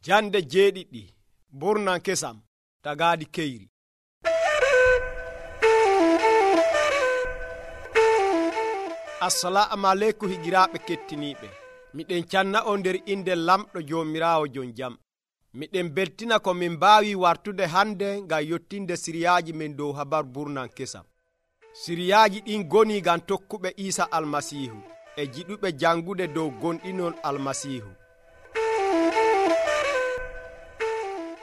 Jande jeeɗiɗi burnan kesam tagaadi keyri. Assalamu aleykum higiraaɓe kettiniiɓe. Miɗen canna on nder inde lamɗo Joomiraawo jon jam. Miɗen beltina ko min mbaawi wartude hande ngam yottinde siriyaaji men dow habar burnan kesam. Siriyaaji ɗin goni ngam tokkuɓe Iisa Almasiihu e jiɗuɓe jangude dow gonɗinol Almasiihu.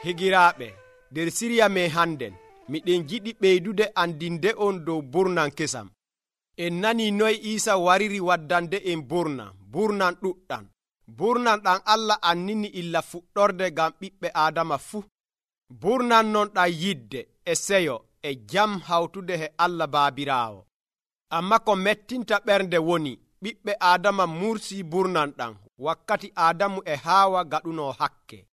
Higiraaɓe, nder siriya men hannden miɗen jiɗi ɓeydude andinde on dow burnan kesam. En nani noy Iisa wariri waddande en burnan ɗuɗɗan. Burnan ɗan Allah annini illa fuɗɗorde ngam ɓiɓɓe Aadama fuu. Burnan non ɗan yidde e seyo e jam hawtude he Allah Baabiraawo. Amma ko mettinta ɓernde woni ɓiɓɓe Aadama mursii burnan ɗan wakkati Aadamu e Haawa gaɗuno hakke.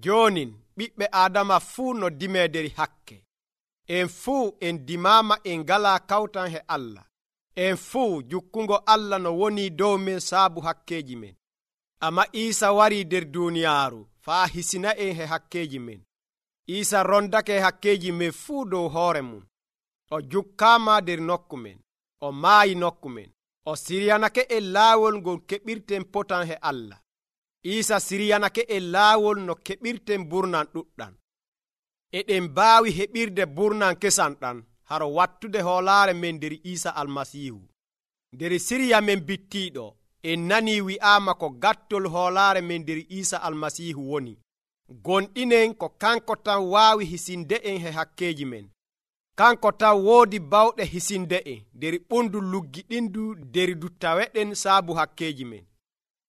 Joonin ɓiɓɓe Aadama fuu no dimederi hakke. En fuu en dimama en ngala kawtan he Allah. En fuu jukkungo Allah no woni dow men saabu hakkeji men. Amma Iisa wari nder duniyaaru faa hisina en he hakkeji men. Iisa rondake hakkeji men fuu dow hoore mum. O jukkaama nder nokku men. O maayi nokku men. O siryanake en laawol ngol keɓirten potan he Allah. Iisa siryanake en laawol no keɓirten burnan ɗuɗɗan. Eɗen mbaawi heɓirde burnan kesam ɗan haro wattude hoolaare men nder Iisa Almasiihu. Nder siriya men bittiiɗo en nani wi'aama ko gattol hoolaare men nder Iisa Almasiihu woni. Gonɗinen ko kanko tan waawi hisinde en he hakkeji men. Kanko tan woodi bawɗe hisinde en nder ɓundu luggiɗindu nder duttaweɗen saabu hakkeji men.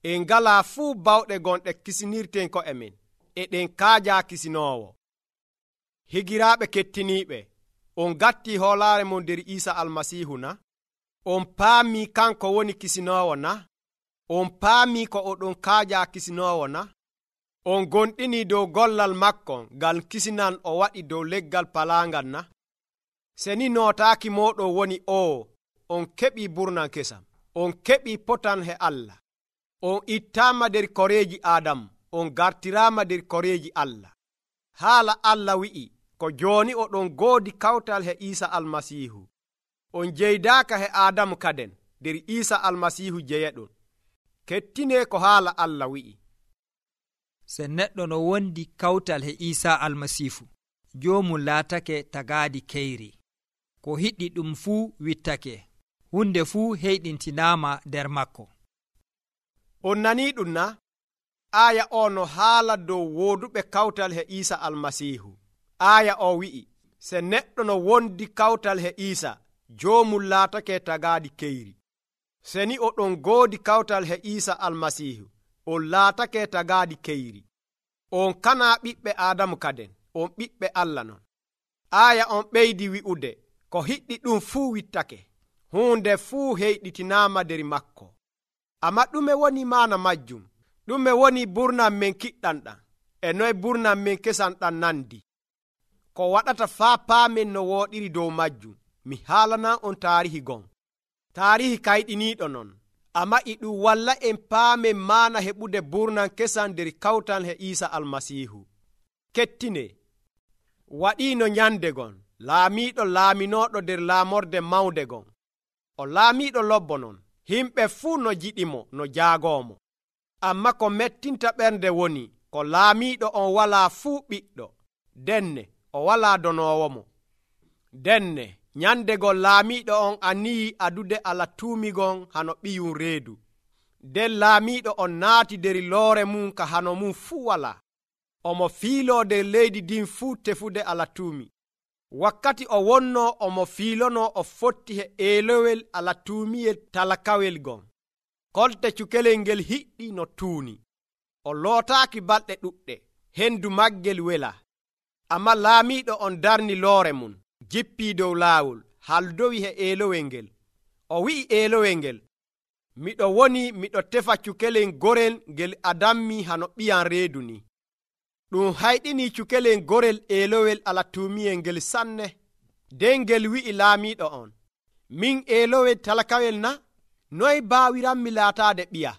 En ngalaa fuu bawɗe gonɗe kisinirten ko'e men. Eɗen kaaja kisinoowo. Higiraaɓe kettiniiɓe, on gatti hoolaare mon nder Iisa Almasiihu na? On paami kanko woni kisinoowo na? On paami ko oɗon kaaja kisinoowo na? On gonɗini dow gollal makko ngal kisinan o waɗi dow leggal palaangal na? Seni nootaaki mooɗon woni on keɓii burnan kesam. On keɓii potan he Allah. On ittaama nder koreeji Aadamu. On gartiraama nder koreeji Allah. Haala Allah wi'i ko jooni oɗon goodi kawtal he Iisa Almasiihu. On jeydaaka he Aadamu kaden nder Iisa Almasiihu jeyaɗon. Kettine ko haala Allah wi'i. Se neɗɗo no wondi kawtal he Iisa Almasiihu, joomum laatake tagaadi keyri. Ko hiɗɗi ɗum fuu wittake. Hunde fuu heyɗintinaama nder makko. On nanii ɗum na? Aaya o no haala dow wooduɓe kawtal he Iisa Almasiihu. Aaya o wi'i, se neɗɗo no wondi kawtal he Iisa, joomum laatake tagaadi keyri. Seni oɗon goodi kawtal he Iisa Almasiihu, on laatake tagaadi keyri. On kana ɓiɓɓe Aadamu kaden, on ɓiɓɓe Allah non. Aaya on ɓeydi wi'ude, ko hiɗɗi ɗum fuu wittake. Hunde fuu heyɗitinaama nder makko. Amma ɗume woni maana majjum? Ɗume woni burnan men kiɗɗan ɗan? E noye burnan men kesam ɗan nandi? Ko waɗata faa paamen no wooɗiri dow majjum, mi haalanan on taarihi gon. Taarihi kayɗiniiɗo non, amma e ɗum walla en paamen maana heɓude burnan kesam nder kawtal he Iisa Almasiihu. Kettine, waɗiino nyande gon, laamiiɗo laaminooɗo nder laamorde mawnde gon. O laamiiɗo lobbo non, himɓe fuu no jiɗimo no jaagoomo. Amma ko mettinta ɓernde woni ko laamiiɗo on walaa fuu ɓiɗɗo, denne o walaa donoowo mo. Denne nyandegol laamiiɗo on aniyi adude alatuumigon hano ɓiyum reedu. Nden laamiiɗo on naati nder loore mum ka hano mum fuu walaa. Omo fiiloo nder leydi ndin fuu tefude alatuumi. Wakkati o wonnoo omo fiilonoo o fotti he eelowel alatuumiyel talakawel gon. Kolte cukelel ngel hiɗɗi no tuuni. O lootaaki balɗe ɗuɗɗe, hendu maggel wela. Amma laamiiɗo on darni loore mum, jippii dow laawol, haldowi he eelowel ngel. O wi'i eelowel ngel, miɗo woni miɗo tefa cukelel gorel ngel adammi hano ɓiyam reedu ni. Ɗum hayɗini cukelel gorel eelowel alatuumiyel ngel sanne. Nden ngel wi'i laamiiɗo on, min eelowel talakawel na? Noy baawiranmi laataade ɓiya?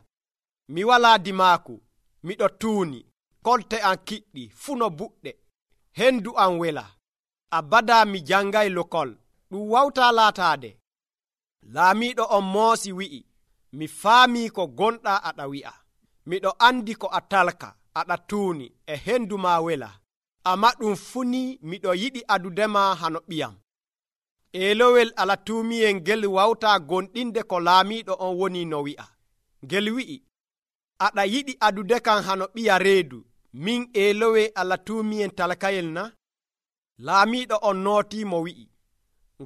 Mi walaa dimaaku, miɗo tuuni. kolte am kiɗɗi fuu no buɗɗe, hendu am wela. Abada mi jangay lokol, ɗum wawta laataade. Laamiiɗo on moosi wi'i, mi faamii ko gonɗa aɗa wi'a. Miɗo andi ko a talka, aɗa tuuni, e hendu ma wela. Amma ɗum fuu ni miɗo yiɗi adudema hano ɓiyam. Eelowel alatuumiyel ngel wawta gonɗinde ko laamiiɗo on woni no wi'a. Ngel wi'i, aɗa yiɗi adude kam hano ɓiya reedu, min eelowe alatuumiyen talkayel na? Laamiiɗo on nootiimo wi'i,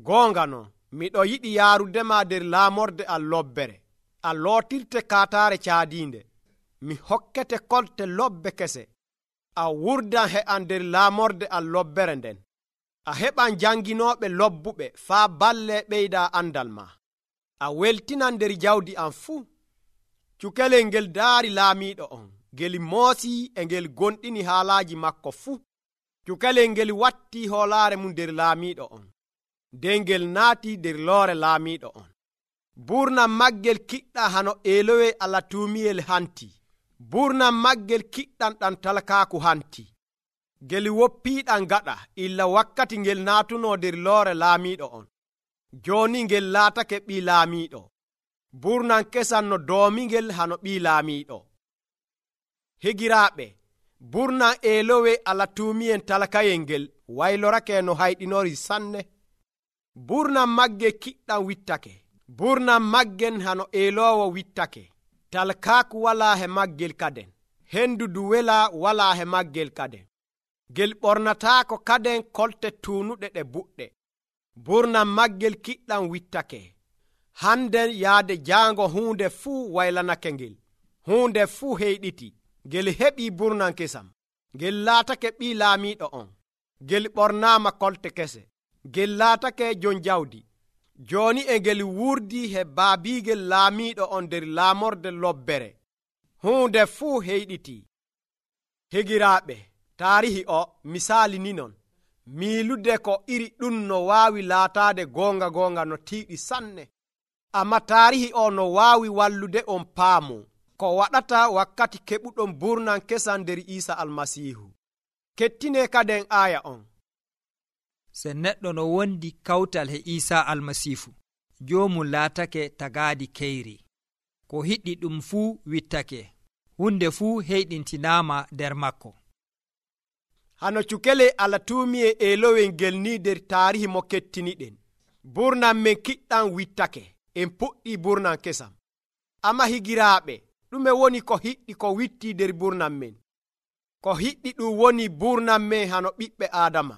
goonga non, miɗo yiɗi yaarudema nder laamorde am lobbere. A lootirte kaataare caadiinde. Mi hokkete kolte lobbe kese. A wurdan he am nder laamorde am lobbere nden. A heɓan janginooɓe lobbuɓe faa balle ɓeyda andal ma. A weltinan nder jawdi am fuu. Cukalel ngel daari laamiiɗo on, ngel moosii e ngel gonɗini haalaaji makko fuu. Cukalel ngel watti hoolaare mum nder laamiiɗo on, nden ngel naati nder loore laamiiɗo on. Burnam maggel kiɗɗa hano eelowe alatuumiyel hanti. Burnam maggel kiɗɗan ɗan talkaaku hanti. Ngel woppiiɗan gaɗa illa wakkati ngel naatuno nder loore laamiiɗo on. Jooni ngel laatake ɓii laamiiɗo. Burnam kesan no doomingel hano ɓii laamiiɗo. Higiraaɓe, burnam eelowe alatuumiyen talkayel ngel waylorake no hayɗinori sanne. Burnam maggel kiɗɗan wittake. Burnam maggen hano eelowo wittake. Talkaaku walaa he maggel kaden. Hendu du wela walaa he maggel kaden. Ngel ɓornataako kaden kolte tuunuɗe ɗe buɗɗe. Burnam maggel kiɗɗan wittake. Handen yaade jaango huunde fuu waylanake ngel. Huunde fuu heyɗiti. Ngel heɓii burnam kesam. Ngel laatake ɓii laamiiɗo on. Ngel ɓornaama kolte kese. Ngel laatake jon jawdi. Jooni e ngel wurdi he baabiigel laamiiɗo on nder laamorde lobbere. Huunde fuu heyɗiti. Higiraaɓe, taarihi o misaali ni non. Miilude ko iri ɗum no waawi laataade goonga no tiiɗi sanne. Amma taarihi o no waawi wallude on paamu ko waɗata wakkati keɓuɗon burnam kesan nder Iisa Almasiihu. Kettine kaden aaya on. Se neɗɗo no wondi kawtal he Iisa Almasiihu, joomum laatake tagaadi keyri. Ko hiɗɗi ɗum fuu wittake. Hunde fuu heyɗintinaama nder makko. Hano cukele alatuumiye eelowel ngel ni nder taarihi mo kettiniɗen. Burnam men kiɗɗan wittake. En puɗɗi burnam kesam. Amma higiraaɓe, ɗume woni ko hiɗɗi ko witti nder burnam men? Ko hiɗɗi ɗum woni burnam men hano ɓiɓɓe Aadama.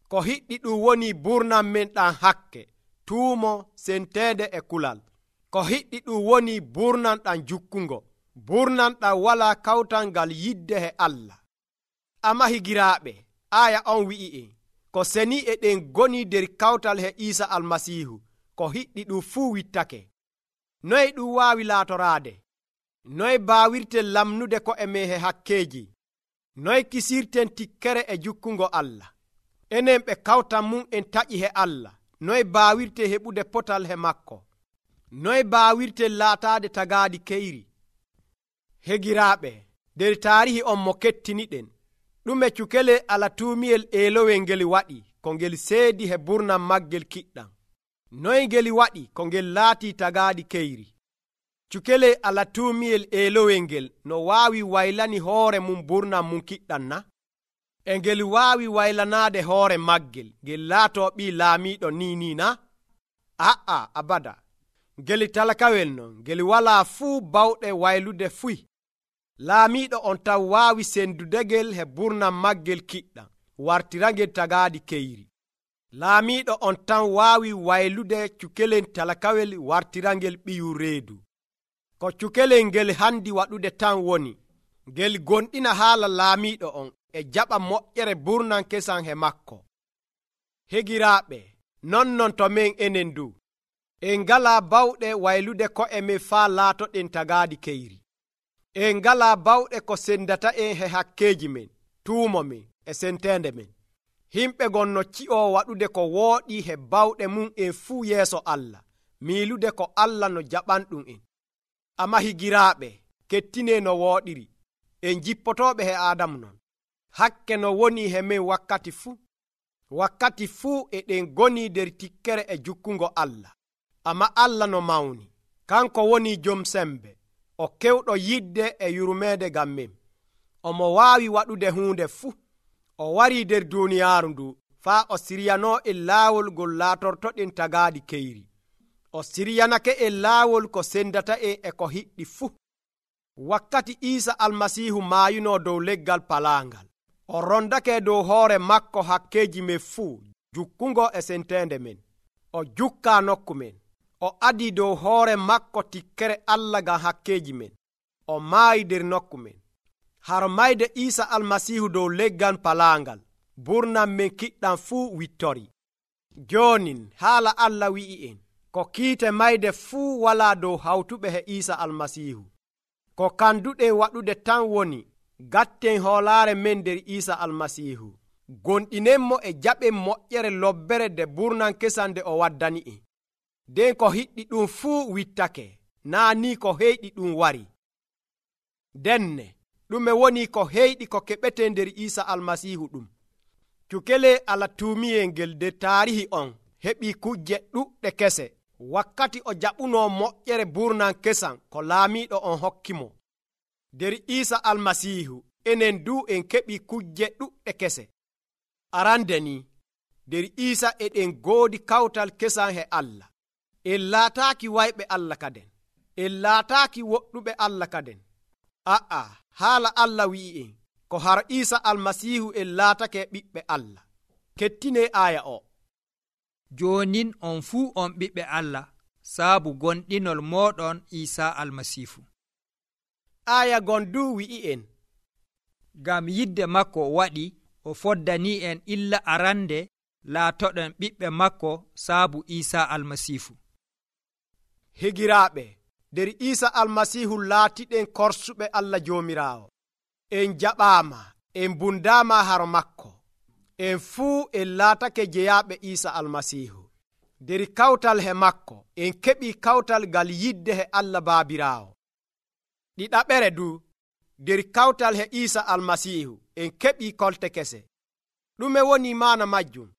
Ko hiɗɗi ɗum woni burnam men ɗan hakke, tuumo, senteede e kulal. Ko hiɗɗi ɗum woni burnam ɗan jukkungo. Burnam ɗan walaa kawtal ngal yidde he Allah. Amma higiraaɓe, aaya on wi'i en, ko seni e ɗen goni nder kawtal he Iisa Almasiihu, ko hiɗɗi ɗum fuu wittake. Noy ɗum waawi laatoraade? Noy baawirten lamnude ko'e men he hakkeeji? Noy kisirten tikkere e jukkungo Allah? Enen ɓe kawtan mum en taƴi he Allah. Noy baawirte heɓude potal he makko? Noy baawirten laataade tagaadi keyri? Hegiraaɓe, nder taarihi on mo kettiniɗen, ɗume cukele alatuumiyel eelowel ngel waɗi ko ngel seedi he burnam maggel kiɗɗam? Noy ngel waɗi ko ngel laatii tagaadi keyri? Cukele alatuumiyel eelowel ngel no waawi waylani hoore mum burnam mum kiɗɗam na? E ngel waawi waylanaade hoore maggel ngel laatoo ɓii laamiiɗo ni na? A'a, abada. Ngel talkawel non, ngel walaa fuu bawɗe waylude fuy. Laamiiɗo on tan waawi sendudegel he burnam maggel kiɗɗam, wartirangel tagaadi keyri. Laamiiɗo on tan waawi waylude cukelen talkawel wartirangel ɓiyu reedu. Ko cukelel ngel handi waɗude tan woni, ngel gonɗina haala laamiiɗo on e jaɓa moƴƴere burnam kesan he makko. Hegiraaɓe, non to men enen du, en ngalaa bawɗe waylude ko'e men faa laatoɗen tagaadi keyri. En ngalaa bawɗe ko sendata en he hakkeeji men, tuumo men e senteende men. Himɓe gon no ci'oo waɗude ko wooɗi he bawɗe mum en fuu yeeso Allah, miilude ko Allah no jaɓanɗum en. Amma higiraaɓe, kettine no wooɗiri. en jippotooɓe he Aadamu non. Hakke no woni he min wakkati fuu eɗen goni nder tikkere e jukkungo Allah. Amma Allah no mawni, kanko woni jom sembe, o kewɗo yidde e yurmeede ngam min. Omo waawi waɗude huunde fuu. O warii nder duuniyaaru ndu faa o siryanoo en laawol ngol laatortoɗen tagaaɗi keyri. O siryanake en laawol ko sendata en e ko hiɗɗi fuu. Wakkati Iisa Almasiihu maayunoo dow leggal palaangal, o rondake dow hoore makko hakkeeji men fuu jukkungo e senteende men. O jukkaa nokku men. O adii dow hoore makko tikkere Allah ngam hakkeeji men. O maayi nder nokku men. Har mayde Iisa Almasiihu dow leggal palaangal, burnam men kiɗɗam fuu wittori. Joonin haala Allah wi'i en, ko kiite mayde fuu walaa dow hawtuɓe he Iisa Almasiihu. Ko kanduɗen waɗude tan woni gatten hoolaare men nder Iisa Almasiihu. Gonɗinenmo e jaɓen moƴƴere lobbere nde burnam kesam nde o waddani en. Nden ko hiɗɗi ɗum fuu wittake, naa ni ko heyɗi ɗum wari. Denne ɗume woni ko heyɗi ko keɓete nder Iisa Almasiihu ɗum? Cukele Allah tuumiyel ngel nder taarihi on heɓi kujje ɗuɗɗe kese wakkati o jaɓunoo moƴƴere burnam kesam ko laamiiɗo on hokkimo. Nder Iisa Almasiihu enen du en keɓi kujje ɗuɗɗe kese. Arande ni, nder Iisa eɗen goodi kawtal kesam he Allah. En laataaki wayɓe Allah kaden. En laataaki woɗɗuɓe Allah kaden. Haala Allah wi'i en ko har Iisa Almasiihu en laatake ɓiɓɓe Allah. Kettine aya o. Joonin on fuu on ɓiɓɓe Allah saabu gonɗinol mooɗon Iisa Almasiihu. Aya gon du wi'i en, ngam yidde makko waɗi o foddanii en illa arande laatoɗen ɓiɓɓe makko saabu Iisa Almasiihu. Higiraaɓe, nder Iisa Almasiihu laatiɗen korsuɓe Allah Joomiraawo. En jaɓaama, en bundaama haro makko. En fuu en laatake jeyaaɓe Iisa Almasiihu. Nder kawtal he makko en keɓii kawtal ngal yidde he Allah Baabiraawo. Ɗiɗaɓere du, nder kawtal he Iisa Almasiihu en keɓii kolte kese. Ɗume woni maana majjum?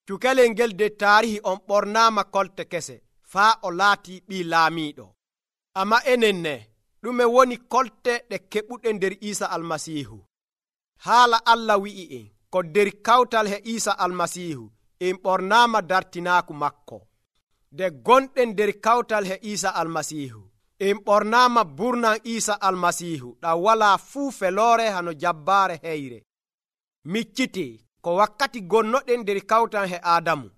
Cukalel ngel nder taarihi on ɓornaama kolte kese faa o laatii ɓii laamiiɗo. Amma enen ne, ɗume woni kolte ɗe keɓuɗen nder Iisa Almasiihu? Haala Allah wi'i en ko nder kawtal he Iisa Almasiihu en ɓornaama dartinaaku makko. Nde gonɗen nder kawtal he Iisa Almasiihu en ɓornaama burnam Iisa Almasiihu ɗam walaa fuu feloore hano jabbaare heyre. Micciti ko wakkati gonnoɗen nder kawtal he Aadamu,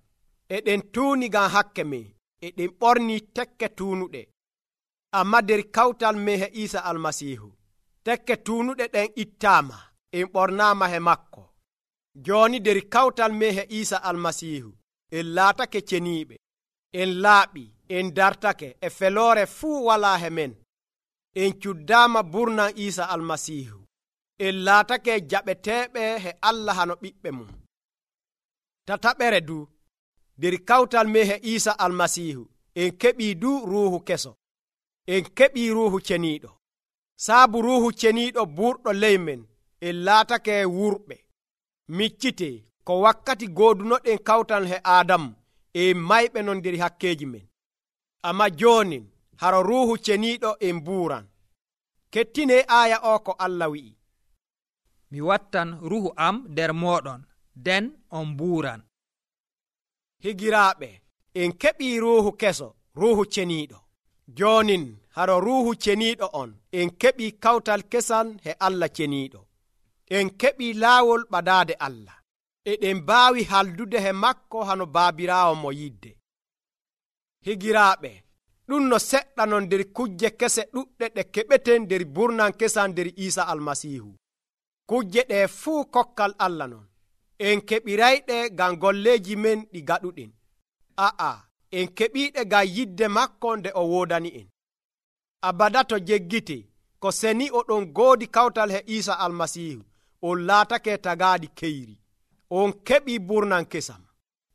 eɗen tuuni ngam hakke men, eɗen ɓornii tekke tuunuɗe. Amma nder kawtal men he Iisa Almasiihu, tekke tuunuɗe ɗen ittaama, en ɓornaama he makko. Jooni nder kawtal men he Iisa Almasiihu en laatake ceniiɓe, en laaɓi, en dartake e feloore fuu walaa he men. En cuddaama burnam Iisa Almasiihu, en laatake jaɓeteeɓe he Allah hano ɓiɓɓe mum. Tataɓere du, nder kawtal men he Iisa Almasiihu en keɓii du ruuhu keso. En keɓii ruuhu ceniiɗo. Saabu ruuhu ceniiɗo burɗo ley men, en laatake wurɓe. Miccite ko wakkati goodunoɗen kawtal he Aadamu en mayɓe non nder hakkeeji men. Amma joonin haro ruuhu ceniiɗo en buuran. Kettine aya o ko Allah wi'i, mi wattan ruuhu am nder mooɗon, nden on buuran. Higiraaɓe, en keɓii ruuhu keso, ruuhu ceniiɗo. Joonin haro ruuhu ceniiɗo on en keɓii kawtal kesal he Allah ceniiɗo. En keɓii laawol ɓadaade Allah. Eɗen mbaawi haldude he makko hano Baabiraawo mo yidde. Higiraaɓe, ɗum no seɗɗa non nder kujje kese ɗuɗɗe ɗe keɓeten nder burnam kesam nder Iisa Almasiihu. Kujje ɗe fuu kokkal Allah non. En keɓirayɗe ngam golleeji men ɗi gaɗuɗen. En keɓiiɗe ngam yidde makko nde o woodani en. Abada to jeggite ko seni oɗon goodi kawtal he Iisa Almasiihu, on laatake tagaaɗi keyri. On keɓii burnam kesam.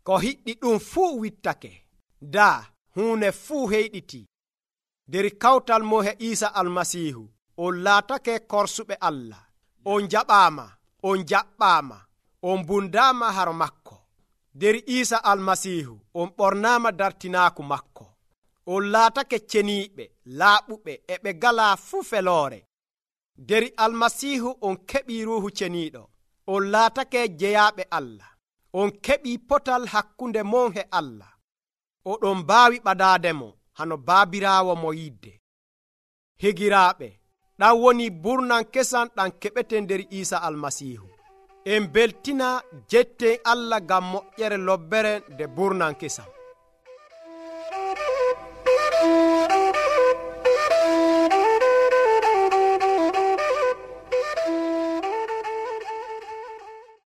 Ko hiɗɗi ɗum fuu wittake. Daa huune fuu heyɗiti. Nder kawtal mo he Iisa Almasiihu on laatake korsuɓe Allah, on jaɓaama, on jaɓɓaama, on bundaama har makko. nder Iisa almasiihu on ɓornaama dartinaaku makko. on laatake ceniiɓe, laaɓuɓe, e ɓe galaa fuu feloore. nder almasiihu on keɓii ruuhu ceniiɗo. on laatake jeyaaɓe Allah. on keɓii potal hakkunde mon e Allah. oɗon mbaawi ɓadaademo hano baabiraawo mo yidde. higiraaɓe, ɗan woni burnan kesan ɗan keɓeten nder Iisa almasiihu. en beltina jetten Allah ngam moƴƴere lobbere nde burnan kesam.